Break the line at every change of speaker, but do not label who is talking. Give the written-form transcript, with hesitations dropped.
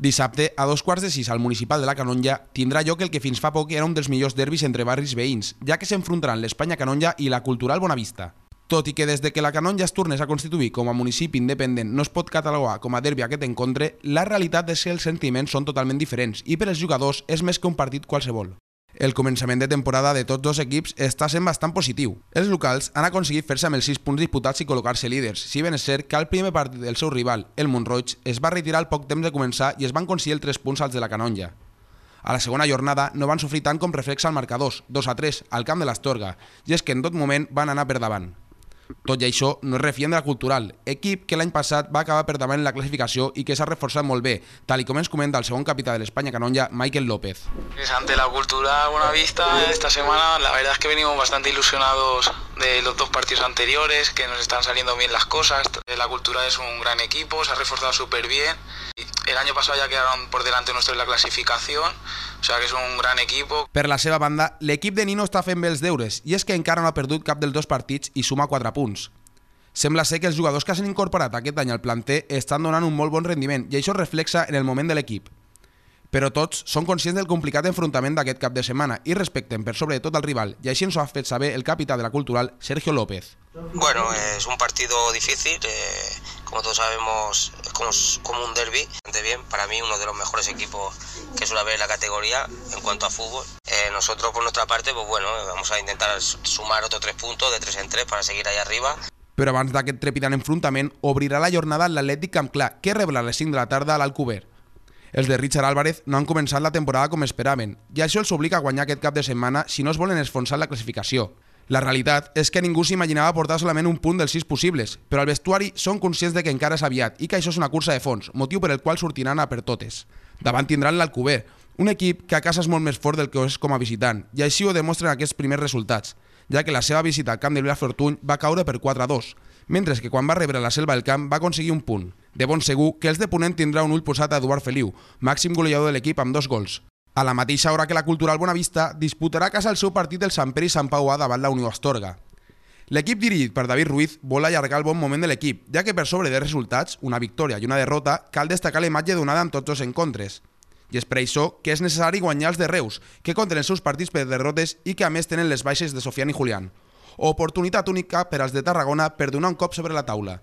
Dissabte, a 2:15 al Municipal de la Canonja, tindrà lloc el que fins fa poc era un dels millors derbis entre barris veïns, ja que s'enfrontaran l'Espanya Canonja i la Cultural Bonavista. Tot i que des de que la Canonja es tornés a constituir com a municipi independent no es pot catalogar com a derbi aquest encontre, la realitat és que els sentiments són totalment diferents i per als jugadors és més que un partit qualsevol. El començament de temporada de tots dos equips està sent bastant positiu. Els locals han aconseguit fer-se amb els 6 punts disputats i col·locar-se líders, si ben és cert que al primer partit del seu rival, el Montroig, es va retirar al poc temps de començar i es van aconseguir els 3 punts als de la Canonja. A la segona jornada no van sofrir tant com reflexa el marcador, 2-3, al camp de l'Astorga, i és que en tot moment van anar per davant. Tot i això, no es refien de la Cultural, equip que l'any passat va acabar per davant en la clasificació i que s'ha reforçat molt bé, tal com ens comenta el segon capità de l'Espanya Canonja, Michael López.
Ante la Cultural Bonavista, esta semana la verdad es que venimos bastante ilusionados de los 2 partidos anteriores, que nos están saliendo bien las cosas. La Cultural es un gran equipo, se ha reforzado súper bien. El año pasado ya quedaron por delante nuestro en la clasificación, o sea que es un gran equipo.
Per la seva banda, l'equip de Nino està fent bé els deures, i és que encara no ha perdut cap dels 2 partits i suma 4 punts. Sembla ser que els jugadors que s'han incorporat aquest any al planter estan donant un molt bon rendiment i això es reflexa en el moment de l'equip. Però tots són conscients del complicat enfrontament d'aquest cap de setmana i respecten per sobre de tot al rival, i així ens ho ha fet saber el capità de la Cultural, Sergio López.
Bueno, es un partido difícil, como todos sabemos es como un derbi, bastante bien, para mí uno de los mejores equipos que suele haber en la categoría en cuanto a fútbol. Nosotros por nuestra parte, pues bueno, vamos a intentar sumar otros 3 puntos de 3 en 3 para seguir ahí arriba.
Però abans d'aquest trepidant enfrontament, obrirà la jornada l'Atlètic Camp Clar, que rebrà a les 5 de la tarda a l'Alcover. Els de Richard Álvarez no han començat la temporada com esperaven, i això els obliga a guanyar aquest cap de setmana si no es volen esfonsar la classificació. La realitat és que ningú s'imaginava portar solament un punt dels 6 possibles, però al vestuari són conscients de que encara és aviat i que això és una cursa de fons, motiu per el qual sortiran a per totes. Davant tindran l'Alcover, un equip que a casa és molt més fort del que és com a visitant, i així ho demostren aquests primers resultats, ja que la seva visita al camp de Vilafortuny va caure per 4-2, mentre que quan va rebre la Selva del Camp va aconseguir un punt. De bon segur que els de Ponent tindrà un ull posat a Eduard Feliu, màxim golejador de l'equip amb 2 gols. A la mateixa hora que la Cultural Bonavista disputarà a casa el seu partit del Sant Pere i Sant Pau A davant la Unió Astorga. L'equip dirigit per David Ruiz vol allargar el bon moment de l'equip, ja que per sobre de resultats, una victòria i una derrota, cal destacar la imatge donada en tots els encontres. I és per això que és necessari guanyar els de Reus, que compten els seus partits per derrotes i que a més tenen les baixes de Sofian i Julián. Oportunitat única per als de Tarragona per donar un cop sobre la taula.